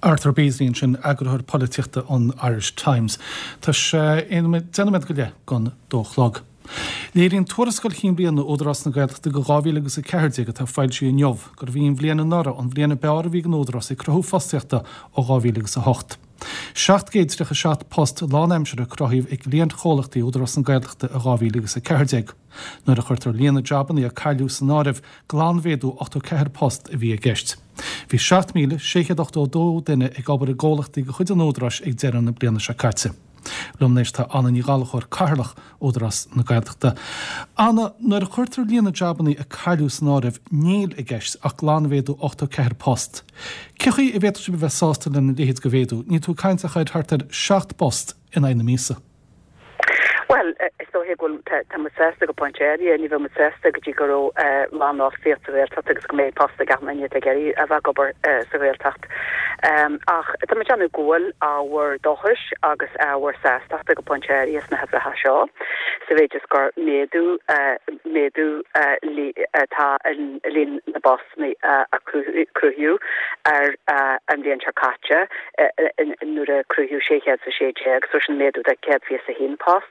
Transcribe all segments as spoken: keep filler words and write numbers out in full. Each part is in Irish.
Arthur Beesley ansin, eagarthóir polaitíochta an Irish Times. Tá sé deich nóiméad go leith don dó a chlog. Léiríonn tuarascáil chinn bliana Údarás na Gaeltachta do dhá mhíle agus a ceathair déag atá foilsithe inniu gurbh í an bhliain anuraidh an bhliain ab fhearr a bhí ag an Údarás ag cruthú fostaíochta ó dhá mhíle agus a hocht. seacht gcéad tríocha seacht post lánaimseartha a cruthaíodh ag cliantchomhlachtaí Údarás na Gaeltachta i dhá mhíle agus a ceathair déag. Nuair a chuirtear líon na jabanna a cailleadh san áireamh, glanmhéadú ochtó ceathair post a bhí i gceist. Bhí seacht míle sé chéad ochtó a dó duine ag obair i gcomhlachtaí de chuid an Údaráis ag deireadh na bliana seo caite. Liom anois tá Anna Ní Ghallchóir, Cathaoirleach Údarás na Gaeltachta. Anna, nuair a chuirtear líon na jabanna a cailleadh san áireamh, níl i gceist ach glanmhéadú ochtó ceathair post. Cé chaoi a bhféadfadh sibh a bheith sásta lena leithéid de mhéadú? Níl tú ag caint ach ar thart ar seacht bpost in aghaidh na míosa. Bhuel, is dóiche go bhfuil, tá muid sásta go pointe áirithe, ní bheadh muid sásta go dtí go raibh lánfhostaíocht sa Ghaeltacht agus go mbeidh post ag achan duine atá ag iarraidh a bheith ag obair sa Ghaeltacht. Ach tá muid ag déanamh go bhfuil ábhar dóchais agus ábhar sástachta go pointe áirithe sna huimhreacha seo, sa mhéid is gur méadú, méadú atá i líon na bpostanna a cruthaíodh ar an bhliain seo caite nuair a cruthaíodh sé chéad is a sé déag, so sin méadú de céad fiche is a haon post.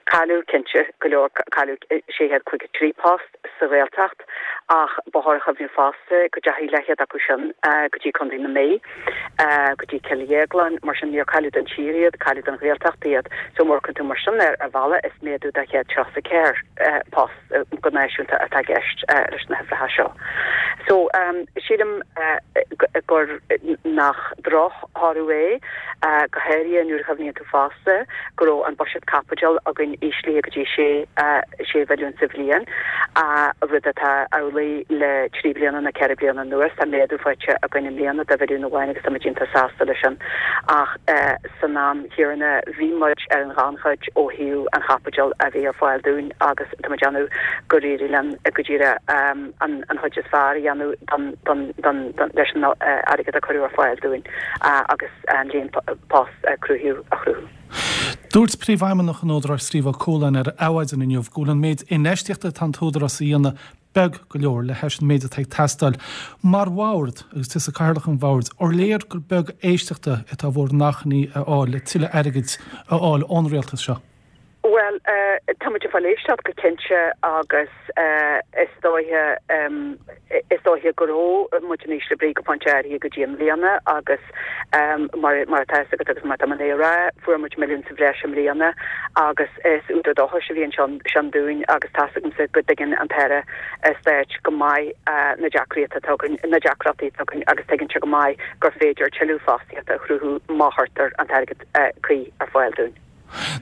Cailleadh, cinnte, go leor, cailleadh sé chéad caoga trí post sa Ghaeltacht ach ba chóir a chuimhniú fosta go dteachaigh leathchéad acu sin go dtí Contae na Mí, go dtí Cill Dhéagláin, mar sin níor cailleadh don tír iad, cailleadh don Ghaeltacht iad. So má amharcann tú mar sin air, ar bhealach is méadú de chéad tríocha a ceathair post go náisiúnta atá i gceist leis na huimhreacha seo. So sílim gur nach drochthoradh é, go háirithe nuair a chuimhníonn tú fosta go raibh an buiséad caipitil againn íslithe go dtí sé sé mhilliún sa bhliain, rud atá amhlaidh le trí bliana nó ceithre bliana anuas. Tá méadú faighte againn i mbliana de mhilliún amháin agus táimid iontach sásta leis sin. Ach san am chéanna bhí muid ar an ghannchuid ó thaobh an chaipitil a bhí ar fáil dúinn agus tá muid ag déanamh gur éirigh linn go díreach an chuid is fearr a dhéanamh leis an airgead a cuireadh ar fáil dúinn agus an líon post a cruthaíodh a chruthú. Dúirt Príomhfheidhmeannach an Údaráis Steve Ó Cualáin ar Adhmhaidin inniu go bhfuil an méid infheistíochta atá an tÚdarás a dhéanamh beag go leor le hais an méid atá ag teastáil. Mar bhord, agus tusa Cathaoirleach an bhoird, ar léir gur beag éisteachta atá bhur n-achainí a fháil le tuilleadh airgid a fháil ón rialtas seo? Bhuel, tá muid ag fáil éisteacht go cinnte agus is dóiche is dóiche go raibh muid in ísle brí go pointe áirithe go dtí i mbliana agus mar mar atá a fhios agat agus mar atá mé ag rá, fuair muid milliún sa bhreis i mbliana agus is údar dóchais a bhí ansin sin dúinn agus tá's agamsa go dtuigeann an tAire Stáit go maith na deacrachtaí atá againn, na deacrachtaí atá againn agus tuigeann sé go maith gur féidir tuilleadh fostaíochta a chruthú má chuirtear an t-airgead cuí ar fáil dúinn.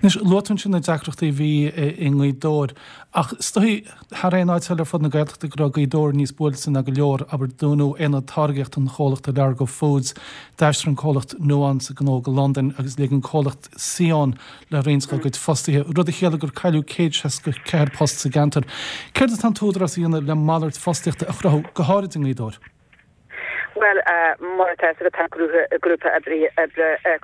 Anois, luaigh tú ansin na deacrachtaí a bhí i nGaoth Dobhair, ach is dóigh, thar aon áit eile ar fud na Gaeltachta, go raibh Gaoth Dobhair níos buailte ná go leor, abair, dúnadh aonad táirgeachta an chomhlachta Largo Foods, d'aistrigh an comhlacht Nuance a gnó go Londain agus lig an comhlacht Sion le roinnt dá gcuid fostaithe, rud a chiallaigh gur cailleadh céad seasca ceathair post sa gceantar. Céard atá an tÚdarás a dhéanamh le malairt fostaíochta a chruthú, go háirid i nGaoth Dobhair? Bhuel, mar atá a fhios agat, tá grúpa oibre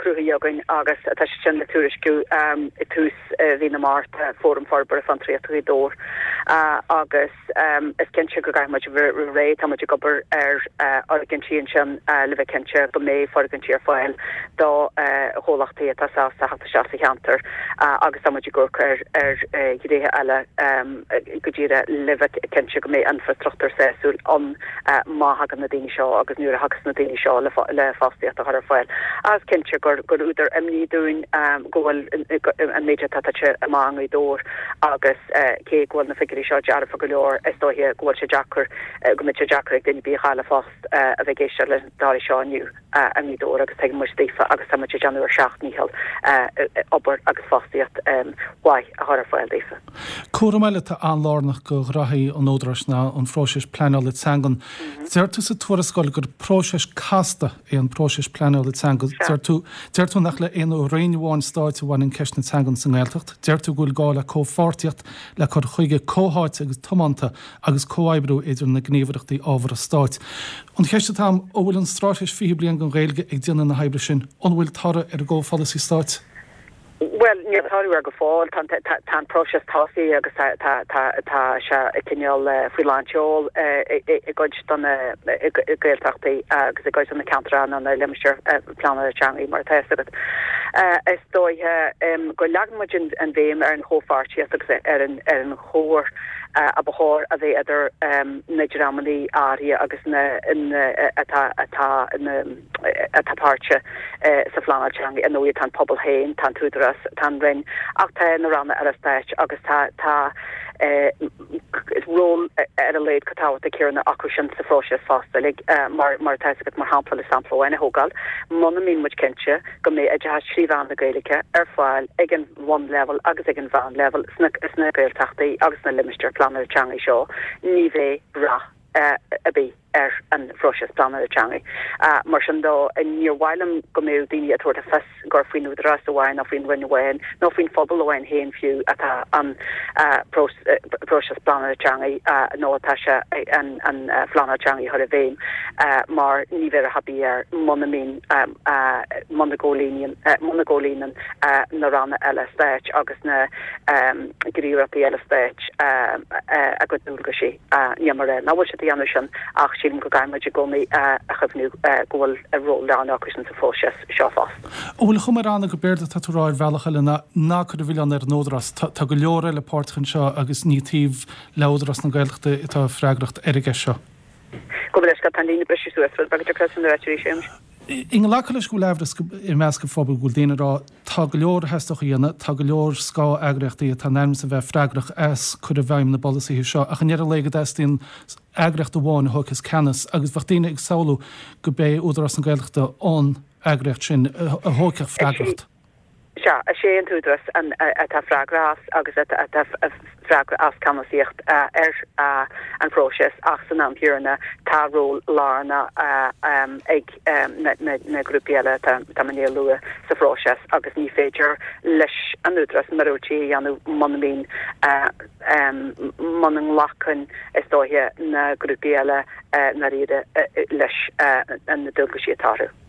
cruthaithe againn agus tá sé sin le tuairisciú i tús mhí na Márta, Fóram Forbartha Fiontraíochta Ghaoth Dobhair, agus is cinnte go gcaithfidh muid a bheith réidh. Tá muid ag obair ar fhoirgintí ansin le bheith cinnte go mbeidh foirgintí ar fáil do chomhlachtaí atá sásta theacht isteach sa cheantar agus tá muid ag amharc ar ar ghnéithe eile go díreach le bheith cinnte go mbeidh infreastruchtúr sásúil ann má thagann na daoine seo agus nuair a thagas na daoine seo le fostaíocht a chur ar fáil. Is cinnte gur gur údar imní dúinn go bhfuil an méid atá tite amach i nGaoth Dobhair agus cé go bhfuil na figiúirí seo dearfa go leor, is dóiche go bhfuil sé deacair, go mbeidh sé deacair ag duine ar bith a chaill a phost a bheith ag éisteacht leis na dálaí seo inniu. I nGaoth Dobhair agus tuigeann muid daofa agus tá muid ag déanamh ár seacht ndícheall obair agus fostaíocht mhaith a chur ar fáil daofa. Cúram eile atá an-lárnach do ghraithí an Údaráis ná an phróiseas pleanála teangan. Deir tú sa tuarascáil gur próiseas casta é an próiseas pleanála teanga. Deir tú, deir tú nach le haon roinn amháin stáit a bhaineann ceist na teangan sa nGaeltacht. Deir tú go bhfuil gá le comhpháirtíocht, le cur chuige comhtháite agus tiomanta agus comhoibriú idir na gníomhaireachtaí ábhartha stáit. An cheist atá agam, an bhfuil an Straitéis fiche Bliain don Ghaeilge ag déanamh na hoibre sin? An bhfuil toradh ar an gcomhpholasaí stáit? Bhuel, Well, níl toradh air go fóill tá an próiseas tosaithe agus tá sé cineál faoi lánseol i gcuid de na Gaeltachtaí agus i gcuid de na ceantair nó na limistéir pleanála teanga mar atá agat. Is dóiche go leagann muid an bhéim ar an chomhpháirtíocht agus ar an ar an chomhar a ba chóir a bheith idir na dreamanna áirithe agus na atá atá atá páirteach sa phleanáil teanga ar ndóigh tá an pobal féin tá an tÚdarás tá an Roinn ach tá na ranna eile stáit agus tá tá ról ar a laghad chomh tábhachtach céanna acu sin sa phróiseas fosta like, mar mar tá agat mar shampla le sampla amháin a thógáil muna mbíonn muid cinnte go mbeidh oideachas trí mheán na Gaeilge ar fáil ag an bhunleibhéal agus ag an mheánleibhéal sna sna Gaeltachtaí agus na limistéir pleanála teanga seo ní bheidh rath ar bith ar an phróiseas pleanála teanga. Uh, mar sin de níor mhaith liom go mbeadh daoine ag tabhairt le fios gur faoin Údarás amháin nó faoin Roinn amháin nó faoin phobal amháin féin fiú atá an uh, próiseas pleanála teanga uh, nó atá sé an, an uh, phleanáil teanga a chur i bhfeidhm uh, mar ní bheidh rath ar bith air muna mbíonn um, uh, muna gcomhlíonann uh, muna gcomhlíonann uh, na ranna eile stáit agus na um, gníomhaireachtaí eile stáit uh, uh, a gcuid dualgaisí uh, ní mar ná bhfuil siad déanamh sin ach sílim go gcaithfidh muid i gcónaí a chuimhniú go bhfuil a ról lárnach acu sin sa phróiseas seo fosta. An bhfuil chuma ann go b'fhéidir tá tú ar bhealach eile ná ná cur an milleán ar an Údarás Tá go leor eile páirteach anseo agus ní taobh le Údarás na Gaeltachta atá freagracht ar an gceist seo. Go bhfuil tá líne breise suas b'fhéidir sé. I nglacadh leis go bhfuil aimhreas i measc an phobail go bhfuil daoine ag rá tá go leor a theastódh a dhéanamh, tá go leor scáth-eagraíochtaí atá in ainm is a bheith freagrach as cur i bhfeidhm na bpolasaithe seo ach an ndeireadh lae go dteastaíonn eagraíocht amháin a thógfas ceannas agus bheadh daoine ag samhlú go bé Údarás na Gaeltachta an eagraíocht sin a thógfadh freagracht. Sea, is é an tÚdarás atá freagrach as agus atá freagrach as ceannasaíocht ar an phróiseas ach san am céanna tá ról lárnach ag na grúpaí eile tá mé a lua sa phróiseas agus ní féidir leis an Údarás míorúiltí a dhéanamh muna mbíonn muna nglacann is dóiche na grúpaí eile na riada leis na dualgaisí atá orthu.